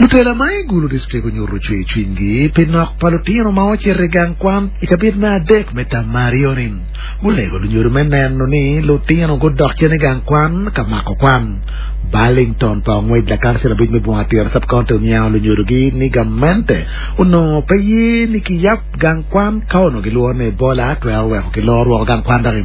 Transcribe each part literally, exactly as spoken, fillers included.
Lutela ma i Gulu District onyuto cwercwinygi pi nok pa lutino ma ocito i gang kwan i cabit me adek me term me aryo-ni. Gulego lunyodo me neno ni lutino gudok cen i gang kwan ka mako kwan. Burlington pa ongwec lakancil abic me Bunga Tira Sub-County oniango lunyodogi ni gamente onongo pe ye ni kiyab gang kwan ka onongo gilworo ni Ebola twero weko kiloro woko gang kwan doki.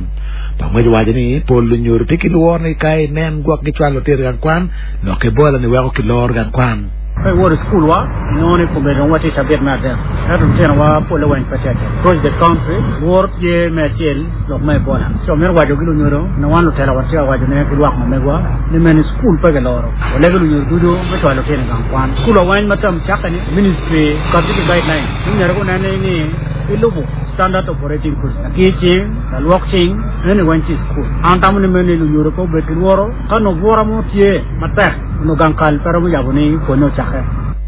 Pa ongwec owaco ni pol lunyodo tye ki lworo ni ka inen gwok gicwalo lutino i gang kwan, lok Ebola ni weko kiloro gang kwan. Ka iwoto i cukul-wa, inongo ni kombeddi dong watye i cabit me adek, ento lutinowa polle weng pe tye acel. Across the country, lworo tye me acel lok me Ebola. Ci wamito waco ki lunyodo, na wan lutela watye ka wacone ki lwak ma megwa, ni mene cukul pe kiloro. Walego lunyodo ducu me cwalo lutino i gang kwan. Cukul-wa weng ma term cakke-ni, ministry okati ki guideline ni myero gunen ni gilubo standard operating procedure. Lakir cing, lalwok cing, eni weng tye i cukul. An atamo ni mene lunyodo pe obed ki lworo ka nongo bwura mo tye matek. Onongo gang kal pe romo yabo ni pwonye ocakke.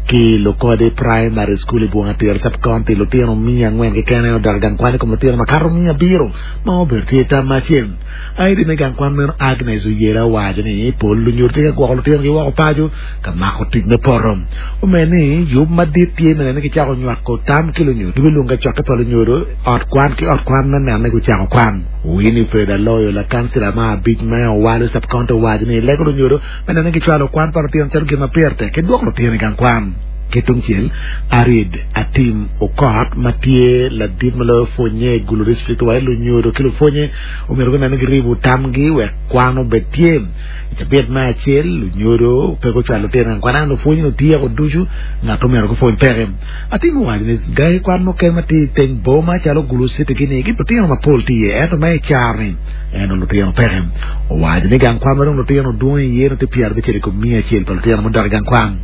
Ki Lukodi Primary School i Bunga Tira Sub-County, lutino miya angwen keken odok i gang kwan i kom lutino makato miya abiro ma obedo tye i tam ma acel. ID me gang kwan meno Agnes Oyela owaco ni pol lunyodo tye ka gwoko lutinogi woko paco ka mako tic me poto. Omedo ni yub madit tye me neno ni kicako nywako tam ki lunyodo. Gibilwongo kacokke pa lunyodo ot kwan ki ot kwan me neno ni gucako kwan. Winifred Aloyo lakancila ma abic me Owalo Sub-County owaco ni lego lunyodo Me neno ni gicwalo kwan pa lutino calo gin ma pire tek ki dwoko lutino i gang kwan. Ki tungcel, Arid Atim Okot ma tye ladit ma loyo pwonye i Gulu District owaco ni lunyodo ki lupwonye omyero gunen ni giribo tamgi wek kwan obed tye. I cabit me acel, lunyodo pe gucwalo lutino i gang kwan ento lupwonye nongo tyeko ducu ngat omyero gupwony peke. Atim owaco ni gangi kwan mukene ma tye i teng boma calo Gulu City gini ki lutino mapol tye iye ento ma i caro-ni Ento lutino peke. Owaco ni gang kwan ma dong lutino dwong iye nongo tye pyerabicel i kom miya acel pa lutino mudok i gang kwan.